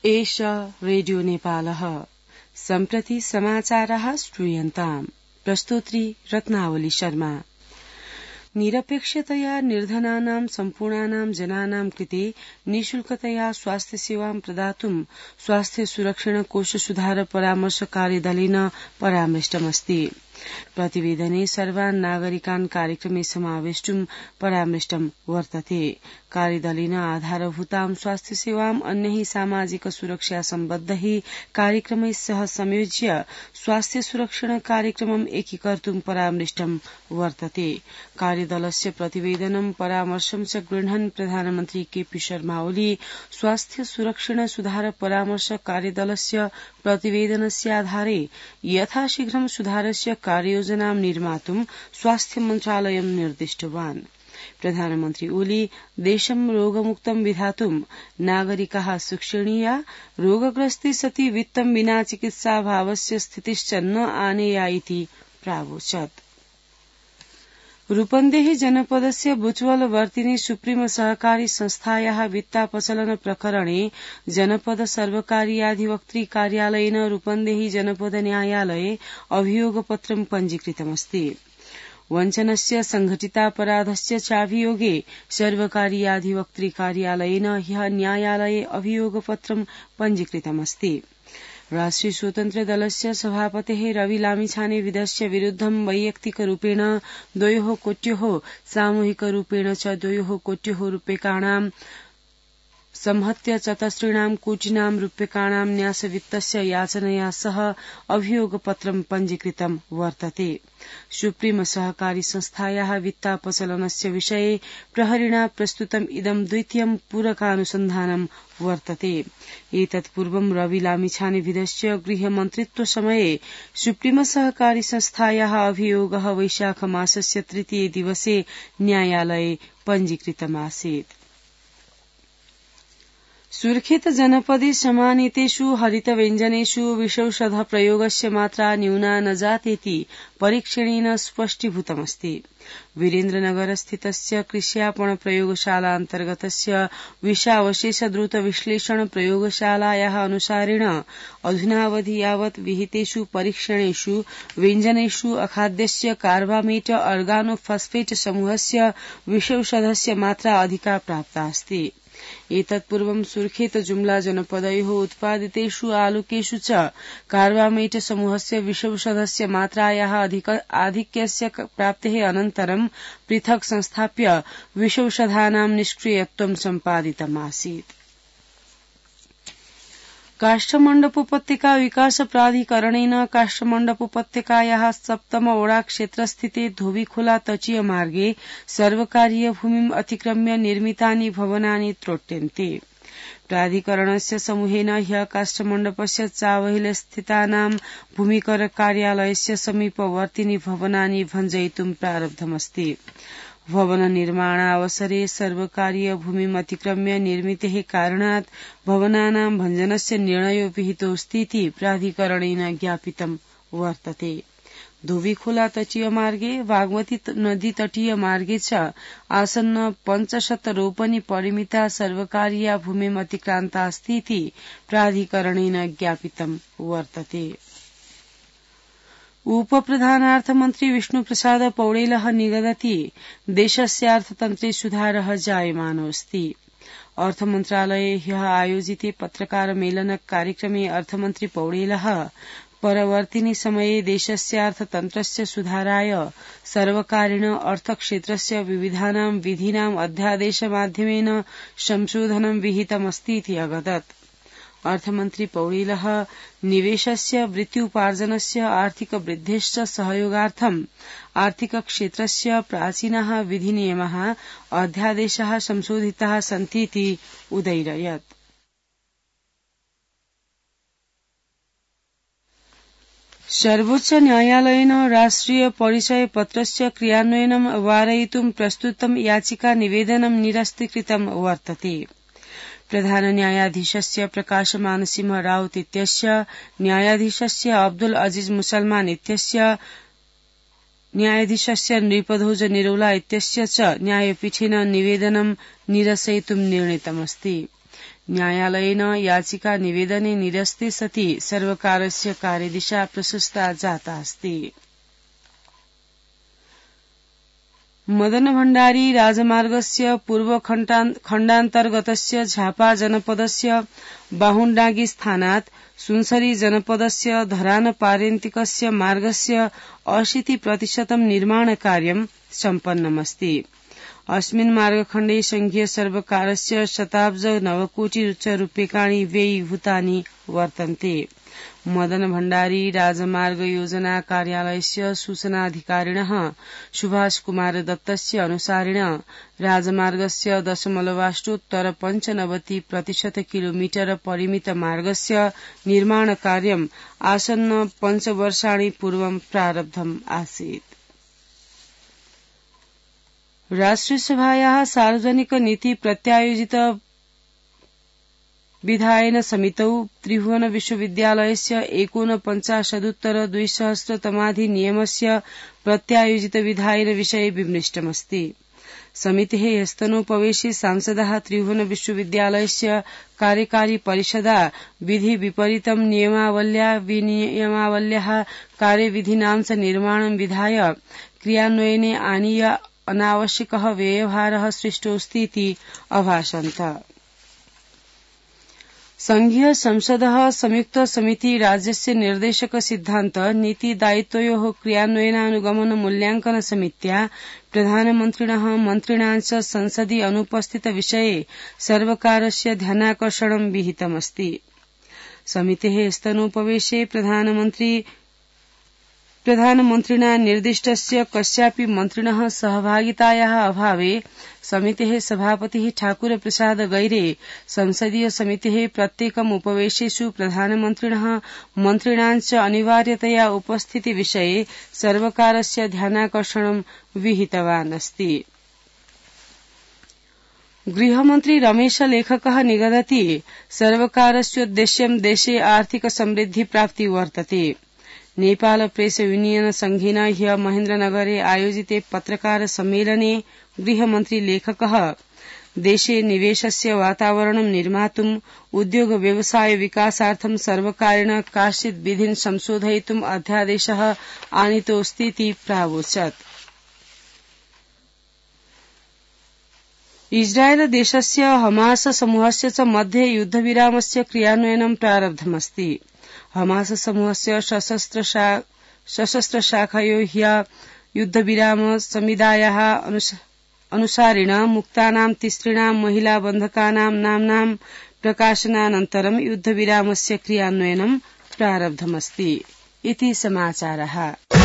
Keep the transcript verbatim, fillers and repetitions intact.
एष रेडियो नेपालः सम्प्रति समाचारः श्रूयन्ताम्। प्रस्तोत्री रत्नावली शर्मा। निरपेक्षतया निर्धनानां सम्पूर्णानां जनानां कृते निःशुल्कतया स्वास्थ्य सेवां प्रदातुं स्वास्थ्य सुरक्षण कोष सुधार परामर्श कार्यदलेन परामृष्टमस्ति। प्रतिवेदने सर्वान् नागरिकान् कार्यक्रमे समावेष्टुं परामृष्टं वर्तते। कार्यदलेन आधारभूतां स्वास्थ्य सेवां अन्यैः सामाजिक सुरक्षा सम्बद्धैः कार्यक्रमैः सह संयोज्य स्वास्थ्य सुरक्षण कार्यक्रमम् एकीकर्तुं परामृष्टं वर्तते। कार्यदलस्य प्रतिवेदनं परामर्शं च गृह्णन् प्रधानमन्त्री केपी शर्मा ओली स्वास्थ्य सुरक्षण सुधार परामर्श कार्यदलस्य प्रतिवेदनस्य आधारे यथाशीघ्रं सुधारस्य कार्ययोजनां निर्मातुं स्वास्थ्य मन्त्रालयं निर्दिष्टवान्। प्रधानमन्त्री ओली देशं रोगमुक्तं विधातुं नागरिकाः शिक्षणीया, रोगग्रस्ते सति वित्तं विना चिकित्साभावस्य स्थितिश्च न आनेया इति प्रावोचत्। रूपन्देही जनपदस्य बुचवल वर्तिनी सुप्रीम सहकारी संस्थायाः वित्तापचलन प्रकरणे जनपद सर्वकारीयाधिवक्त्री कार्यालयेन रूपन्देही जनपद न्यायालये अभियोगपत्रं पञ्जीकृतमस्ति। वञ्चनस्य संघटितापराधस्य चाभियोगे सर्वकारीयाधिवक्त्री कार्यालयेन ह्यः न्यायालये अभियोगपत्रं पञ्जीकृतमस्ति। राष्ट्रिय स्वतन्त्र दलस्य सभापतेः रवि लामिछाने विधस्य विरुद्धं वैयक्तिकरूपेण द्वयोः कोट्योः सामूहिकरूपेण च द्वयोः कोट्योः रूप्यकाणां संहत्य चतसृणां कोटिनां रूप्यकाणां न्यासवित्तस्य याचनया सह अभियोगपत्रं पञ्जीकृतं वर्तते। सुप्रीम सहकारी संस्थायाः वित्तापचलनस्य विषये प्रहरिणा प्रस्तुतम् इदं द्वितीयं पूरकानुसन्धानं वर्तते। एतत्पूर्वं रवि लामिछाने विधस्य गृहमन्त्रित्वसमये सुप्रीम सहकारी संस्थायाः अभियोगः वैशाख मासस्य तृतीये दिवसे न्यायालये पञ्जीकृतमासीत्। सुर्खेत जनपदे समानीतेषु हरितव्यञ्जनेषु विषौषध प्रयोगस्य मात्रा न्यूना न जातेति परीक्षणेन स्पष्टीभूतमस्ति। वीरेन्द्रनगरस्थितस्य कृष्यापण प्रयोगशालान्तर्गतस्य विषावशेष द्रुत विश्लेषण प्रयोगशालायाः अनुसारेण अधुनावधि यावत् विहितेषु परीक्षणेषु व्यञ्जनेषु अखाद्यस्य कार्बामेट अर्गानोफास्फेट समूहस्य विषौषधस्य मात्रा अधिका प्राप्ता अस्ति। एतत्पूर्वं सुर्खेत जुम्ला जनपदयोः उत्पादितेषु आलुकेषु च कार्बामेट समूहस्य विषौषधस्य मात्रायाः आधिक्यस्य प्राप्तेः अनन्तरं पृथक् संस्थाप्य विषौषधानां निष्क्रियत्वं सम्पादितमासीत्। काष्ठमण्डपोपत्यका विकास प्राधिकरणेन काष्ठमण्डपोपत्यकायाः सप्तम ओडा क्षेत्रस्थिते धोबीखोला तटीय मार्गे सर्वकारीय भूमिम् अतिक्रम्य निर्मितानि भवनानि त्रोट्यन्ते। प्राधिकरणस्य समूहेन ह्यः काष्ठमण्डपस्य चावहिल स्थितानां भूमिकर कार्यालयस्य समीपवर्तिनि भवनानि भञ्जयितुं प्रारब्धमस्ति। भवन निर्माणावसरे सर्वकारीय भूमिम् अतिक्रम्य निर्मितेः कारणात् भवनानां भञ्जनस्य निर्णयो विहितोऽस्तीति प्राधिकरणेन ज्ञापितं वर्तते। धोबीखोला तटीय मार्गे बागमती नदी तटीय मार्गे च आसन्न पञ्चशत रोपनि परिमिता सर्वकारीया भूमिम् अतिक्रान्ता अस्तीति प्राधिकरणेन ज्ञापितं वर्तते। उपप्रधानार्थमन्त्री विष्णुप्रसाद पौडेलः निगदति देशस्य अर्थतन्त्रे सुधारः जायमानोऽस्ति। अर्थमन्त्रालये ह्यः आयोजिते पत्रकारमेलन कार्यक्रमे अर्थमन्त्री पौडेलः परवर्तिनि समये देशस्य अर्थतन्त्रस्य सुधाराय सर्वकारेण अर्थक्षेत्रस्य विविधानां विधीनां अध्यादेशमाध्यमेन संशोधनं विहितमस्तीति अगदत्। अर्थमन्त्री पौडेलः निवेशस्य वृत्त्युपार्जनस्य आर्थिक वृद्धेश्च सहयोगार्थम् आर्थिकक्षेत्रस्य प्राचीनाः विधिनियमाः अध्यादेशाः संशोधिताः सन्तीति उदैरयत्। सर्वोच्च न्यायालयेन राष्ट्रिय परिचय पत्रस्य क्रियान्वयनं वारयितुं प्रस्तुतं याचिका निवेदनं निरस्तीकृतं वर्तते। प्रधान न्यायाधीशस्य प्रकाशमान सिंह राउत इत्यस्य न्यायाधीशस्य अब्दुल अजीज मुसलमान इत्यस्य न्यायाधीशस्य नृपध्वज निरौला इत्यस्य च न्यायपीठेन निवेदनं निरसयितुं निर्णीतमस्ति। न्यायालयेन याचिका निवेदने निरस्ते सति सर्वकारस्य कार्यदिशा प्रशस्ता जाता अस्ति। मदन भण्डारी राजमार्गस्य पूर्वखण्डान्तर्गतस्य झापा जनपदस्य बाहुण्डागी स्थानात् सुनसरी जनपदस्य धरान पार्यन्तिकस्य मार्गस्य अशीति प्रतिशतं निर्माणकार्यं सम्पन्नमस्ति। अस्मिन् मार्गखण्डे संघीय सर्वकारस्य शताब्ज नवकोटि रूप्यकाणि व्ययीभूतानि वर्तन्ते। मदन भण्डारी राजमार्ग योजना कार्यालयस्य सूचनाधिकारिणः सुभाष कुमार दत्तस्य अनुसारेण राजमार्गस्य दशमलवाष्टोत्तर पञ्चनवति प्रतिशत किलोमीटर परिमित मार्गस्य निर्माणकार्यम् आसन्न पञ्चवर्षाणि पूर्वं प्रारब्धम् आसीत्। राष्ट्रियसभायाः सार्वजनिक नीति प्रत्यायोजित विधायन समितौ त्रिभुवन विश्वविद्यालयस्य एकोनपञ्चाशदुत्तर द्विसहस्रतमाधिनियमस्य प्रत्यायोजित विधायन विषये विमृष्टमस्ति। समितेः ह्यस्तनोपवेशे सांसदाः त्रिभुवन विश्वविद्यालयस्य कार्यकारी परिषदा विधि विपरीतं नियमावल्या विनियमावल्याः कार्यविधीनां च निर्माणं विधाय क्रियान्वयने आनीय अनावश्यकः व्ययभारः सृष्टोऽस्तीति अभाषन्त। संघीय संसदः संयुक्त समिति राज्यस्य निर्देशक सिद्धान्त नीति दायित्वयोः क्रियान्वयनानुगमन मूल्यांकन समित्या प्रधानमन्त्रिणः मन्त्रिणां च संसदि अनुपस्थित विषये सर्वकारस्य ध्यानाकर्षणं विहितमस्ति। समितेः स्तनोपवेशे प्रधानमन्त्री प्रधानमन्त्रिणा निर्दिष्टस्य कस्यापि मन्त्रिणः सहभागितायाः अभावे समितेः सभापतिः ठाकुर प्रसाद गैरे संसदीय समितेः प्रत्येकम् उपवेशेषु प्रधानमन्त्रिणः मन्त्रिणां च अनिवार्यतया उपस्थिति विषये सर्वकारस्य ध्यानाकर्षणं विहितवान् अस्ति। गृहमन्त्री रमेश लेखकः निगदति सर्वकारस्योद्देश्यं देशे आर्थिक समृद्धि प्राप्ति वर्तते। नेपाल प्रेस यूनियन संघेन ह्य महेन्द्रनगरे आयोजिते पत्रकार सम्मेलने गृहमन्त्री लेखकः देशे निवेशस्य वातावरणं निर्मातुम् उद्योग व्यवसाय विकासार्थं सर्वकारेण काश्चित् विधिन् संशोधयितुम् अध्यादेशः आनीतोऽस्तीति प्रावोचत्। इस्राएल देशस्य हमास समूहस्य च मध्ये युद्धविरामस्य क्रियान्वयनं प्रारब्धमस्ति। हमास समूहस्य सशस्त्र सशस्त्र शाखयो ह्य युद्धविराम संविधायाः अनुसारेण मुक्तानां तिसृणां महिला बन्धकानां नाम्नां प्रकाशनानन्तरं युद्धविरामस्य क्रियान्वयनं प्रारब्धमस्ति इति समाचारः।